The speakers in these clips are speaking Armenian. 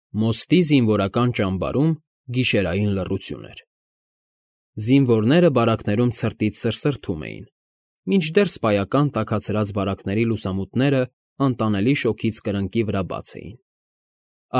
Մոստի զինվորական ճամբարում գիշերային լռություն էր։ Զինվորները բարակներում ցրտից սրսրթում էին, մինչդեռ սպայական տաքացրած բարակների լուսամուտները անտանելի շոգից կրկնակի վրա բաց էին։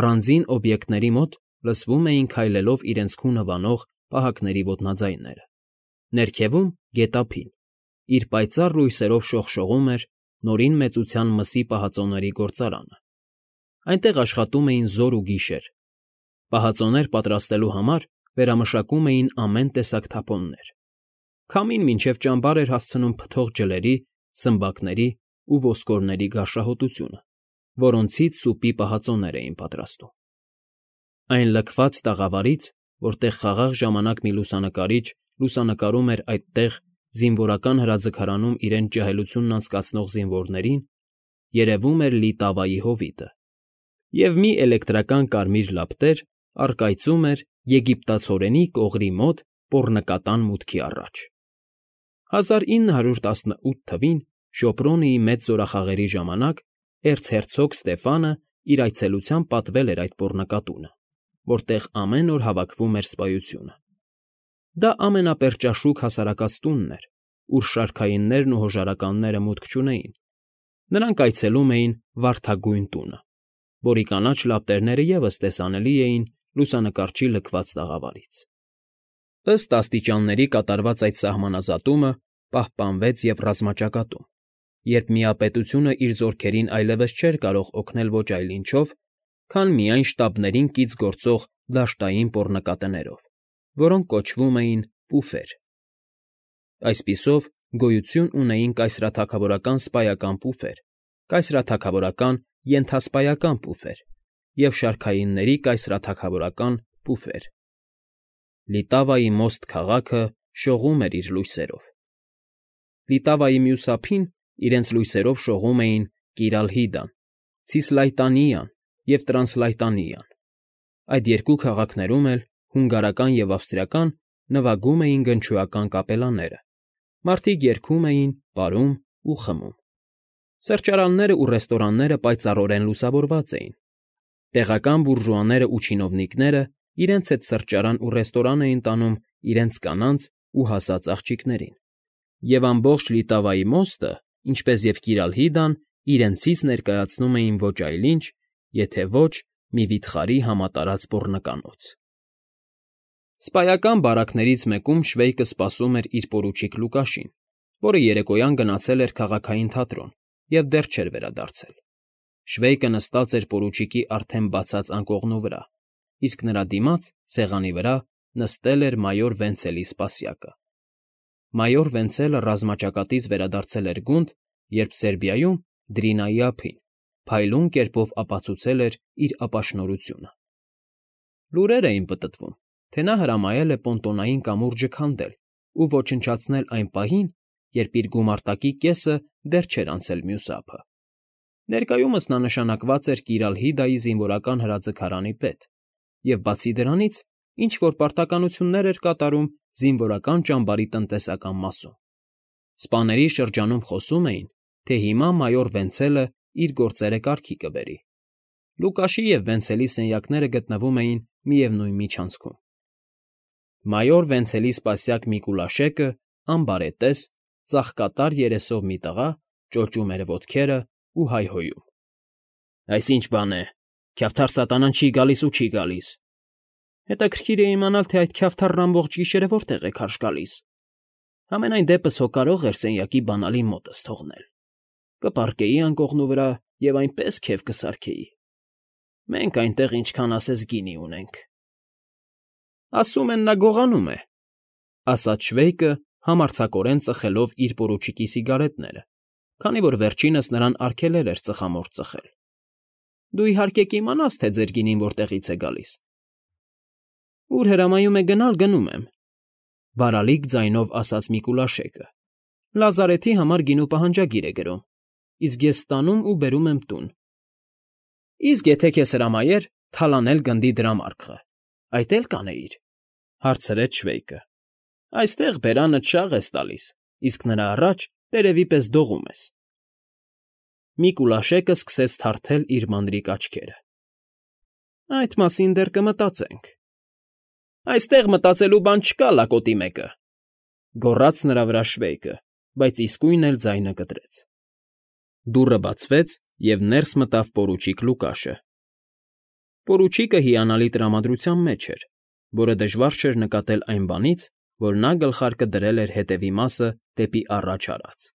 Առանձին օբյեկտների մոտ լսվում էին քայլելով իրենց քունը վանող պահակների ոտնաձայները։ Ներքևում գետափին, իր պայծառ լույսերով շողշողում էր Նորին Մեծության մսի պահածոների գործարանը։ Այնտեղ աշխատում էին զոր ու գիշեր։ Պահածոներ պատրաստելու համար վերամշակում էին ամեն տեսակ թափոններ։ Քամին մինչև ճամբար էր հասցնում փթող ջլերի, սմբակների ու ոսկորների գարշահոտությունը, որոնցից սուպի պահածոներ էին պատրաստում։ Այն լքված տաղավարից, որտեղ խաղաղ ժամանակ մի լուսանկարիչ լուսանկարում էր այդտեղ զինվորական հրաձգարանում իրենց ջահելությունն անցկացնող զինվորներին, երևում էր լի տավայի հովիտը, և մի էլեկտրական կարմիր լապտեր առկայծում էր եգիպտացորենի կողրի մոտ պոռնկատան մուտքի առաջ։ 1918 թվին Շոպրոնիի մեծ զորախաղերի ժամանակ էրցհերցոգ Ստեֆանը իր այցելությամբ պատվել էր այդ պոռնկատունը, որտեղ ամեն օր հավաքվում էր սպայությունը։ Դա ամենապերճաշուք հասարակած տունն էր, ուր շարքայիններն ու հոժարականները մուտք չունեին։ Նրանք այցելում էին Վարդագույն տունը, որի կանաչ լապտերները ևս տեսանելի էին լուսանկարչի լքված տաղավարից։ Ըստ աստիճանների կատարված այդ սահմանազատումը պահպանվեց և ռազմաճակատում, երբ միապետությունը իր զորքերին այլևս չէր կարող օգնել ոչ այլ ինչով, քան միայն շտաբներին կից գործող դաշտային պոռնկատներով, որոնք կոչվում էին պուֆեր։ Այսպիսով գոյություն ունեին կայսրաթագավորական սպայական պուֆեր, կայսրաթագավորական ենթասպայական պուֆեր և շարքայինների կայսրաթագավորական պուֆեր։ Լիտավայի մոստ քաղաքը շողում էր իր լույսերով։ Լիտավայի մյուս ափին իրենց լույսերով շողում էին Կիրալհիդան, Ցիսլայտանիան և Տրանսլայտանիան։ Այդ երկու քաղաքներում էլ հունգարական և ավստրիական նվագում էին գնչուական կապելաները, մարդիկ երգում էին, պարում ու խմում։ Սրճարաններն ու ռեստորանները պայծառորեն լուսավորված էին։ Տեղական բուրժուաներն ու չինովնիկները իրենց հետ սրճարան ու ռեստորան էին տանում իրենց կանանց ու հասած աղջիկներին, և ամբողջ Լիտավայի մոստը, ինչպես և Կիրալհիդան, իրենցից ներկայացնում էին ոչ այլ ինչ, եթե ոչ մի վիթխարի համատարած պոռնկանոց։ Սպայական բարակներից մեկում Շվեյկը սպասում էր իր պորուչիկ Լուկաշին, որը երեկոյան գնացել էր քաղաքային թատրոն և դեռ չէր վերադարձել։ Շվեյկը նստած էր պորուչիկի արդեն բացած անկողնու վրա, իսկ նրա դիմաց, սեղանի վրա, նստել էր մայոր Վենցելի սպասյակը։ Մայոր Վենցելը ռազմաճակատից վերադարձել էր գունդ, երբ Սերբիայում, Դրինայի ափին, փայլուն կերպով ապացուցել էր իր ապաշնորհությունը։ Լուրեր էին պտտվում, թե նա հրամայել է պոնտոնային կամուրջը քանդել ու ոչնչացնել այն պահին, երբ իր գումարտակի կեսը դեռ չէր անցել մյուս ափը։ Ներկայումս նա նշանակված էր Կիրալհիդայի զինվորական հրաձգարանի պետ, և բացի դրանից ինչ֊որ պարտականություններ էր կատարում զինվորական ճամբարի տնտեսական մասում։ Սպաների շրջանում խոսում էին, թե հիմա մայոր Վենցելը իր գործերը կարգի կբերի։ Լուկաշի և Վենցելի սենյակները գտնվում էին միևնույն միջանցքում։ Մայոր Վենցելի սպասյակ Միկուլաշեկը, անբարետես, ծաղկատար երեսով մի տղա, ճոճում էր ոտքերը ու հայհոյում. «Այս ի՞նչ բան է, քյավթար սատանան չի գալիս ու չի գալիս»։ Հետաքրքիր է իմանալ, թե այդ քյավթառն ամբողջ գիշերը որտեղ է քարշ գալիս։ Համենայն դեպս հո կարող էր սենյակի բանալին մոտս թողնել։ Կպառկեի անկողնու վրա և այնպես քեֆ կսարքեի։ Մենք այնտեղ ինչքան ասես գինի ունենք։ Ասում են, նա գողանում է, ասաց Շվեյկը, համարձակորեն ծխելով իր պորուչիկի սիգարետները, քանի որ վերջինս նրան արգելել էր ծխամորճ ծխել։ Դու իհարկե կիմանաս, թե ձեր գինին որտեղից է գալիս։ Ուր հրամայում է գնալ, գնում եմ, բարալիկ ձայնով ասաց Միկուլաշեկը։ Լազարեթի համար գինու պահանջագիր է գրում, իսկ ես ստանում ու բերում եմ տուն։ Իսկ եթե քեզ հրամայեր թալանել գնդի դրամարկղը, այդ էլ կանեիր, հարցրեց Շվեյկը։ Այստեղ բերանդ շաղ ես տալիս, իսկ նրա առաջ տերևի պես դողում ես։ Միկուլաշեկը սկսեց թարթել իր մանրիկ աչքերը։ Այդ մասին դեռ կմտածենք։ Այստեղ մտածելու բան չկա, լակոտի մեկը, գոռաց նրա վրա Շվեյկը, բայց իսկույն էլ ձայնը կտրեց։ Դուռը բացվեց, և ներս մտավ պորուչիկ Լուկաշը։ Պորուչիկը հիանալի տրամադրության մեջ էր, որը դժվար չէր նկատել այն բանից, որ նա գլխարկը դրել էր հետևի մասը դեպի առաջ արած։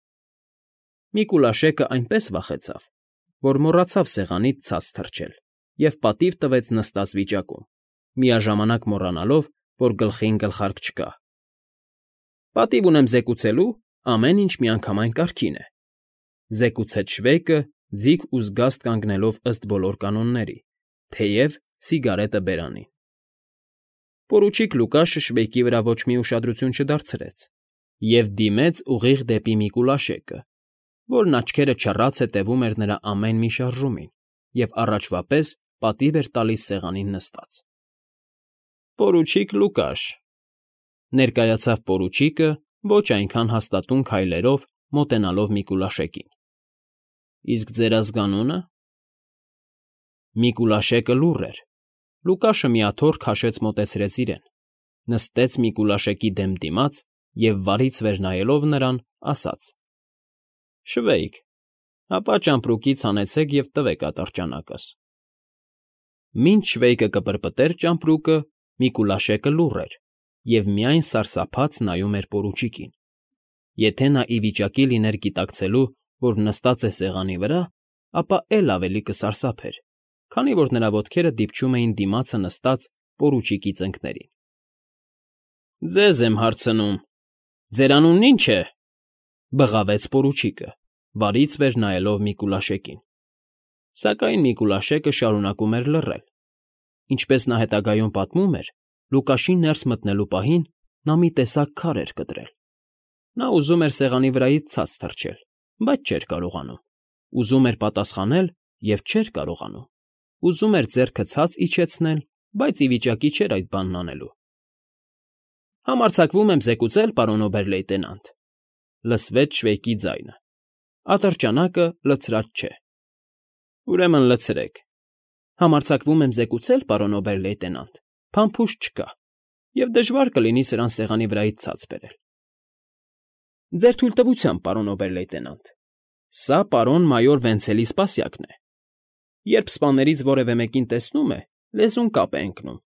Միկուլաշեկը այնպես վախեցավ, որ մոռացավ սեղանից ցած թռչել և պատիվ տվեց նստած վիճակում, միաժամանակ մոռանալով, որ գլխին գլխարկ չկա։ Պատիվ ունեմ զեկուցելու, ամեն ինչ միանգամայն կարգին է, զեկուցեց Շվեյկը, ձիգ ու զգաստ կանգնելով ըստ բոլոր կանոնների, թեև սիգարետը բերանին։ Պորուչիկ Լուկաշը Շվեյկի վրա ոչ մի ուշադրություն չդարձրեց և դիմեց ուղիղ դեպի Միկուլաշեկը, որն աչքերը չռած հետևում էր նրա ամեն մի շարժումին և առաջվա պես պատիվ էր տալիս սեղանին նստած։ Պորուչիկ Լուկաշ, ներկայացավ պորուչիկը ոչ այնքան հաստատուն քայլերով, մոտենալով Միկուլաշեկին։ Իսկ ձեր ազգանո՞ւնը։ Միկուլաշեկը լուռ էր։ Լուկաշը մի աթոռ քաշեց մոտեցրեց իրեն, նստեց Միկուլաշեկի դեմ դիմաց և վարից վեր նայելով նրան, ասաց. Շվեյկ, ապա ճամպրուկից հանեցեք և տվեք ատրճանակս։ Մինչ Շվեյկը կպրպտեր ճամպրուկը, Միկուլաշեկը լուռ էր և միայն սարսափած նայում էր պորուչիկին։ Եթե նա ի վիճակի լիներ գիտակցելու, որ նստած է սեղանի վրա, ապա էլ ավելի կսարսափեր, քանի որ նրա ոտքերը դիպչում էին դիմացը նստած պորուչիկի ծնկներին։ Ձեզ եմ հարցնում, ձեր անունն ի՞նչ է, բղավեց պորուչիկը, վարից վեր նայելով Միկուլաշեկին։ Սակայն Միկուլաշեկը շարունակում էր լռել։ Ինչպես նա հետագայում պատմում էր, Լուկաշին ներս մտնելու պահին նա մի տեսակ քար էր կտրել։ Նա ուզում էր սեղանի վրայից ցած թռչել, բայց չէր կարողանում։ Ուզում էր պատասխանել և չէր կարողանում։ Ուզում էր ձեռքը ցած իջեցնել, բայց ի վիճակի չէր այդ բանն անելու։ Համարձակվում եմ զեկուցել, պարոն օբեր֊լեյտենանտ, լսվեց Շվեյկի ձայնը։ Ատրճանակը լցրած չէ։ Ուրեմն լցրեք։ Համարձակվում եմ զեկուցել, պարոն օբեր֊լեյտենանտ, փամփուշտ չկա, և դժվար կլինի սրան սեղանի վրայից ցած բերել։ Ձեր թույլտվությամբ, պարոն օբեր֊լեյտենանտ, սա պարոն մայոր Վենցելի սպասյակն է։ Երբ սպաներից որևէ մեկին տեսնում է, լեզուն կապ է ընկնում։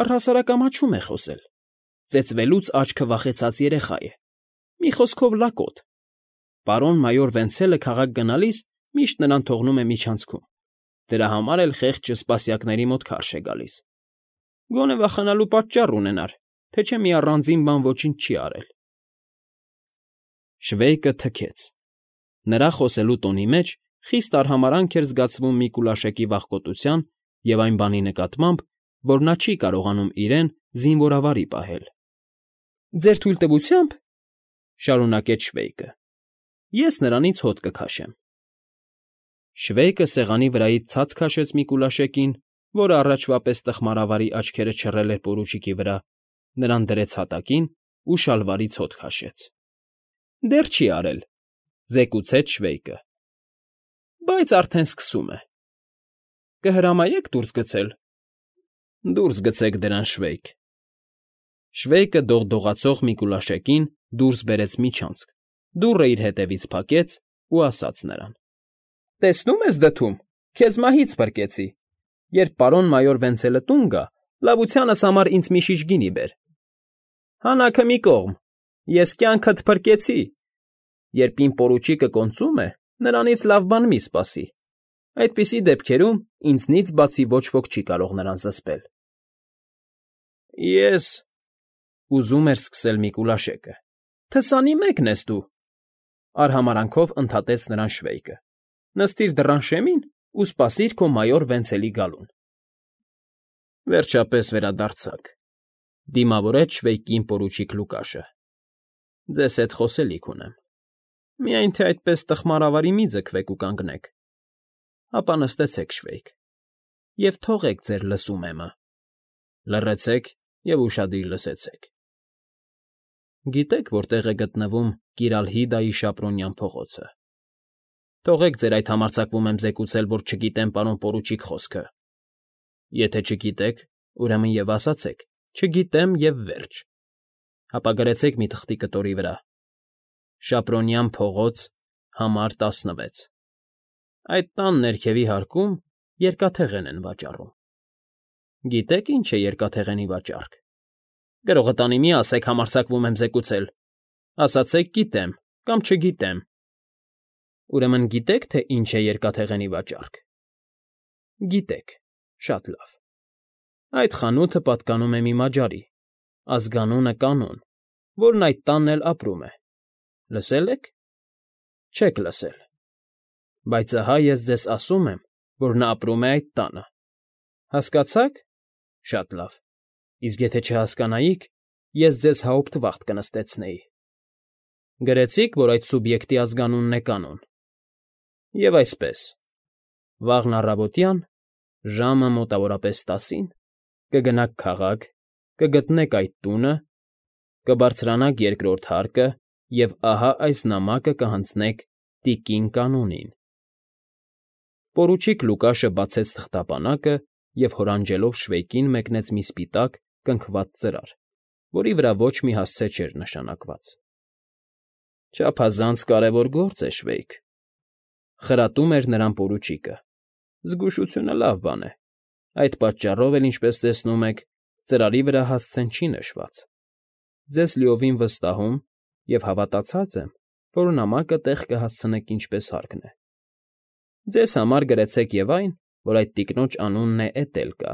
Առհասարակ ամաչում է խոսել։ Ծեծվելուց աչքը վախեցած երեխա է։ Մի խոսքով լակոտ։ Պարոն մայոր Վենցելը քաղաք գնալիս միշտ նրան թողնում է միջանցքում։ Դրա համար էլ խեղճը սպասյակների մոտ քարշ է գալիս։ Գոնե վախենալու պատճառ ունենար, թե չէ մի առանձին բան ոչինչ չի արել։ Շվեյկը թքեց։ Նրա խոսելու տոնի մեջ խիստ արհամարհանք էր զգացվում Միկուլաշեկի վախկոտության և այն բանի նկատմամբ, որ նա չի կարողանում իրեն զինվորավարի պահել։ Ձեր թույլտվությամբ, շարունակեց Շվեյկը, ես նրանից հոտ կքաշեմ։ Շվեյկը սեղանի վրայից ցած քաշեց Միկուլաշեկին, որը առաջվա պես տխմարավարի աչքերը չռել էր պորուչիկի վրա, նրան դրեց հատակին ու շալվարից հոտ քաշեց։ Դեռ չի արել, զեկուցեց Շվեյկը։ Բայց արդեն սկսում է։ Կհրամայեք դուրս գցել։ Դուրս գցեք դրան, Շվեյկ։ Շվեյկը դողդողացող Միկուլաշեկին դուրս բերեց միջանցք, դուռը իր հետևից փակեց ու ասաց նրան. Տեսնում ես դդում, քեզ մահից փրկեցի։ Երբ պարոն մայոր Վենցելը տուն գա, լավությանս համար ինձ մի շիշ գինի բեր։ Հանաքը մի կողմ, ես կյանքդ փրկեցի։ Երբ իմ պորուչիկը կոնծում է, նրանից լավ բան մի սպասի։ Այդպիսի դեպքերում ինձնից բացի ոչ ոք չի կարող նրան զսպել։ Ես ուզում էր սկսել Միկուլաշեկը։ Թսանի մեկն ես դու, արհամարանքով ընդհատեց նրան Շվեյկը։ Նստիր դռան շեմին ու սպասիր քո մայոր Վենցելի գալուն։ Վերջապես վերադարձաք, դիմավորեց Շվեյկին պորուչիկ Լուկաշը։ Ձեզ հետ խոսելիք ունեմ։ Միայն թե այդպես տխմարավարի մի ձգվեք ու կանգնեք։ Ապա նստեցեք, Շվեյկ, և թողեք ձեր լսումեմը։ Լռեցեք և ուշադիր լսեցեք։ Գիտեք, որտեղ է գտնվում Կիրալհիդայի Շապրոնյան փողոցը։ Թողեք ձեր այդ համարձակվում եմ զեկուցել, որ չգիտեմ պարոն պորուչիկ խոսքը։ Եթե չգիտեք, ուրեմն եւ ասացեք. չգիտեմ եւ վերջ։ Հապա գրեցեք մի թղթի կտորի վրա. Շապրոնյան փողոց, համար 16։ Այդ տան ներքևի հարկում երկաթեղեն են վաճառում։ Գիտեք ինչ է երկաթեղենի վաճառք։ Գրողը տանի մի ասեք համարձակվում եմ զեկուցել։ Ասացեք գիտեմ կամ չգիտեմ։ Ուրեմն գիտեք, թե ինչ է երկաթեղենի վաճառք։ Գիտեք, շատ լավ։ Այդ խանութը պատկանում է մի մաջարի, ազգանունը Կանոն, որն այդ տանն էլ ապրում է։ Լսել եք։ Չեք լսել։ Բայց ահա ես ձեզ ասում եմ, որ նա ապրում է այդ տանը։ Հասկացա՞ք։ Շատ լավ։ Իսկ եթե չհասկանայիք, ես ձեզ հաուպտվախտ կնստեցնեի։ Գրեցիք, որ այդ սուբյեկտի ազգանունն է Կանոն։ Եվ այսպես, վաղն առավոտյան, ժամը մոտավորապես 10-ին, կգնաք քաղաք, կգտնեք այդ տունը, կբարձրանաք երկրորդ հարկը և ահա այս նամակը կհանձնեք տիկին Կանոնին։ Պորուչիկ Լուկաշը բացեց թղթապանակը և հորանջելով Շվեյկին մեկնեց մի սպիտակ, կնքված ծրար, որի վրա ոչ մի հասցե չէր նշանակված։ Չափազանց կարևոր գործ է, Շվեյկ, խրատում էր նրան պորուչիկը։ Զգուշությունը լավ բան է։ Այդ պատճառով էլ, ինչպես տեսնում եք, ծրարի վրա հասցեն չի նշված։ Ձեզ լիովին վստահում և հավատացած եմ, որ նամակը տեղ կհասցնեք ինչպես հարկն է։ Ձեզ համար գրեցեք և այն, որ այդ տիկնոջ անունն է Էտելկա։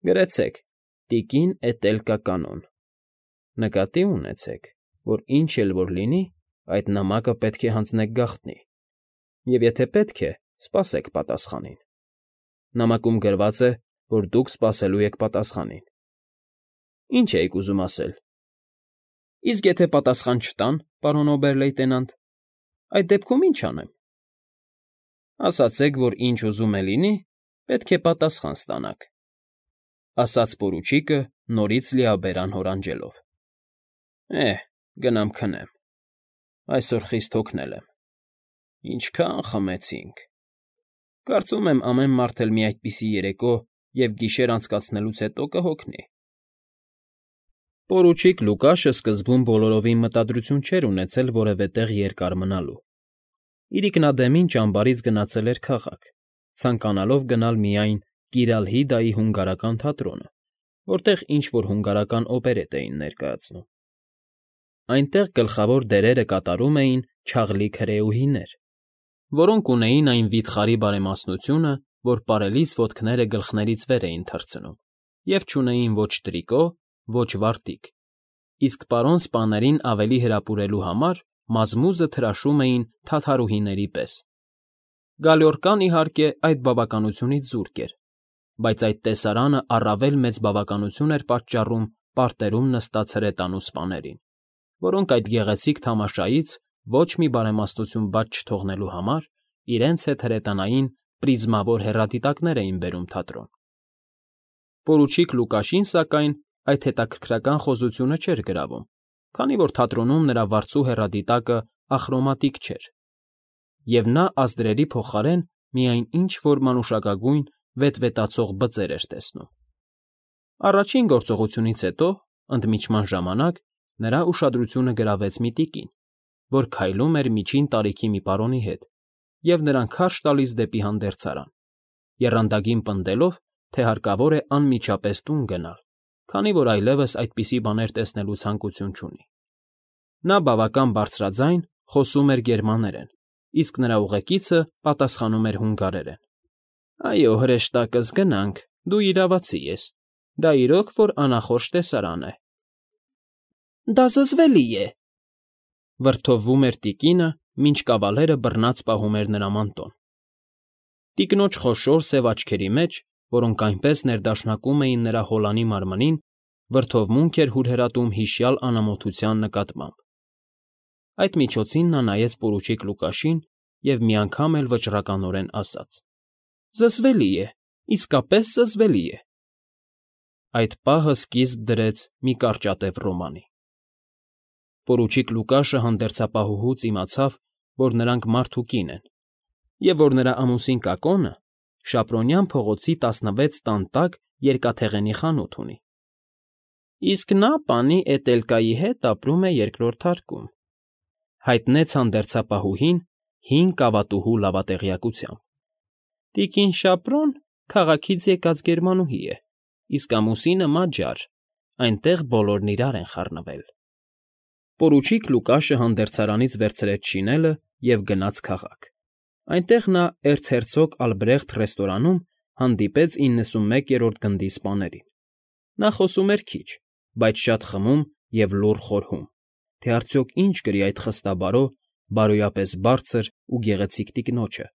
Գրեցեք. տիկին Էտելկա Կանոն։ Նկատի ունեցեք, որ ինչ էլ որ լինի, այդ նամակը պետք է հանձնեք գաղտնի։ Եվ եթե պետք է, սպասեք պատասխանին։ Նամակում գրված է, որ դուք սպասելու եք պատասխանին։ Ինչ էիք ուզում ասել։ Իսկ եթե պատասխան չտան, պարոն օբեր֊լեյտենանտ, այդ դեպքում ինչ անեմ։ Ասացեք, որ ինչ ուզում է լինի, պետք է պատասխան ստանաք, ասաց պորուչիկը նորից լիաբերան հորանջելով։ Գնամ քնեմ։ Այսօր խիստ հոգնել եմ։ Ինչքան խմեցինք։ Կարծում եմ ամեն մարդ էլ մի այդպիսի երեկո և գիշեր անցկացնելուց հետո կհոգնի։ Պորուչիկ Լուկաշը սկզբում բոլորովին մտադրություն չէր ունեցել որևէ տեղ երկար մնալու։ Իրիկնադեմին ճամբարից գնացել էր քաղաք, ցանկանալով գնալ միայն Կիրալհիդայի հունգարական թատրոնը, որտեղ ինչ֊որ հունգարական օպերետ էին ներկայացնում։ Այնտեղ գլխավոր դերերը կատարում էին չաղլիկ հրեուհիներ, որոնք ունեին այն վիթխարի բարեմասնությունը, որ պարելիս ոտքները գլխներից վեր էին թռցնում, և չունեին ոչ տրիկո, ոչ վարտիք, իսկ պարոն սպաներին ավելի հրապուրելու համար մազմուզը թրաշում էին թաթարուհիների պես։ Գալյորկան, իհարկե, այդ բավականությունից զուրկ էր, բայց այդ տեսարանը առավել մեծ բավականություն էր պատճառում պարտերում նստած հրետանու սպաներին, որոնք այդ գեղեցիկ թամաշայից ոչ մի բարեմաստություն բաց չթողնելու համար իրենց հետ հրետանային պրիզմավոր հեռադիտակներ էին բերում թատրոն։ Պորուչիկ Լուկաշին, սակայն, այդ հետաքրքրական խոզությունը չէր գրավում, քանի որ թատրոնում նրա վարձու հեռադիտակը ախրոմատիկ չէր, և նա ազդրերի փոխարեն միայն ինչ-որ մանուշակագույն վետվետացող բծեր էր տեսնում։ Առաջին գործողությունից հետո, ընդմիջման ժամանակ, նրա ուշադրությունը գրավեց մի տիկին, որ քայլում էր միջին տարիքի մի պարոնի հետ և նրան քարշ տալիս դեպի հանդերձարան, եռանդագին պնդելով, թե հարկավոր է անմիջապես տուն գնալ, քանի որ այլևս այդպիսի բաներ տեսնելու ցանկություն չունի։ Նա բավական բարձրաձայն խոսում էր գերմաներեն, իսկ նրա ուղեկիցը պատասխանում էր հունգարերեն։ Այո, հրեշտակս գնանք, դու իրավացի ես, դա իրոք որ անախորժ տեսարան է։ Դա զզվելի է, վրդովվում էր տիկինը, մինչ կավալերը բռնած պահում էր նրա մանտոն։ Տիկնոջ խոշոր սև աչքերի մեջ, որոնք այնպես ներդաշնակում էին նրա հոլանի մարմնին, վրդովմունք էր հուրհրատում հիշյալ անամոթության նկատմամբ։ Այդ միջոցին նա նայեց պորուչիկ Լուկաշին և մի անգամ էլ վճռականորեն ասաց. Զզվելի է, իսկապես զզվելի է։ Այդ պահը սկիզբ դրեց մի կարճատև ռոմանի։ Պորուչիկ Լուկաշը հանդերձապահուհուց իմացավ, որ նրանք մարդ ու կին են, և որ նրա ամուսին Կակոնը, Շապրոնյան փողոցի 16 տան տակ երկաթեղենի խանութ ունի։ Իսկ նա պանի Էտելկայի հետ ապրում է երկրորդ հարկում,֊ հայտնեց հանդերձապահուհին հին կավատուհու լավատեղյակությամբ։ Տիկին Շապրոն քաղաքից եկած գերմանուհի է, իսկ ամուսինը Մաջար, այնտեղ բոլորն իրար են խառնվել։ Պորուչիկ Լուկաշը հանդերձարանից վերցրեց շինելը և գնաց քաղաք։ Այնտեղ նա էրցհերցոգ Ալբրեխտ ռեստորանում հանդիպեց 91-րդ գնդի սպաներին։ Նա խոսում էր քիչ, բայց շատ խմում և լուռ խորհում, թե արդյոք ինչ կրի այդ խստաբարո, բարոյապես բարձր ու գեղեցիկ տիկնոջը,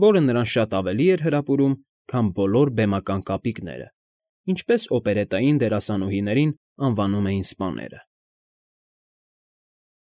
որը նրան շատ ավելի էր հրապուրում, քան բոլոր բեմական կապիկները, ինչպես օպերետային դերասանուհիներին անվանում էին սպաները։